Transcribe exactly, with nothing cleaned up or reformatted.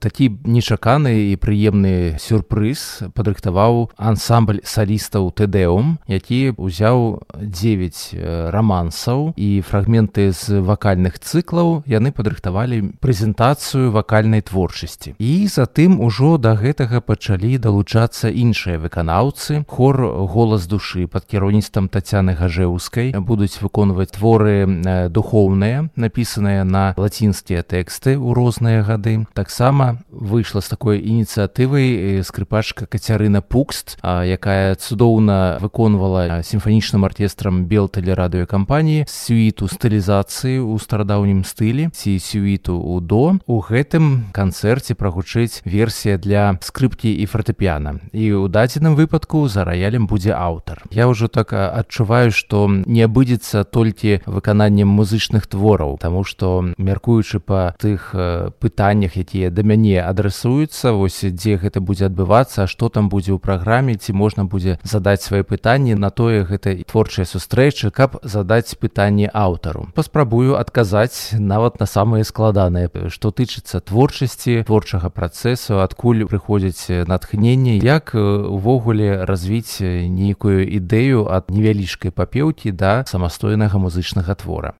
такі нечаканы і прыемны сюрпрыз падрыхтаваў ансамбль салістаў Тэдэум, які ўзяў дзевяць рамансаў і фрагменты з вакальных цыклаў. Яны падрыхтавалі прэзентацыю вакальнай творчасці. І затым ужо да гэтага пачалі далучацца іншыя выканаўцы. Хор «Голас душы» пад кіраўніцтвам Тацяны Гажэўскай будуць выконваць творы духоўныя, напісаныя на лацінскія тэксты ў розныя гады. Таксама выйшла з такой ініцыятывай скрыпачка Кацярына Пукст, якая цудоўна выконвала сімфанічным аркестрам Белтэлерадыёкампаніі сюіту стылізацыі ў старадаўнім стылі ці сюіту ў до. У гэтым канцэрце прагучыць версія для скрыпкі і фартэпіяна. І ў дадзеным выпадку за раялем будзе аўтар. Я ўжо так адчуваю, што не абыдзецца толькі выкананнем музычных твораў, таму што, мяркуючы па тых пытаннях, якія да мяне адрасуюцца, вось дзе гэта будзе адбывацца, а што там будзе ў праграме, ці можна будзе задаць свае пытанні, на тое гэта творчая сустрэча, каб задаць пытанне аўтару. Паспрабую адказаць нават на самыя складаныя, што тычыцца творчасці, творчага працэсу, адкуль прыходзіць натхненне, як увогуле развіць нейкую ідэю ад невялічкай папеўкі да самастойнага музычнага твора.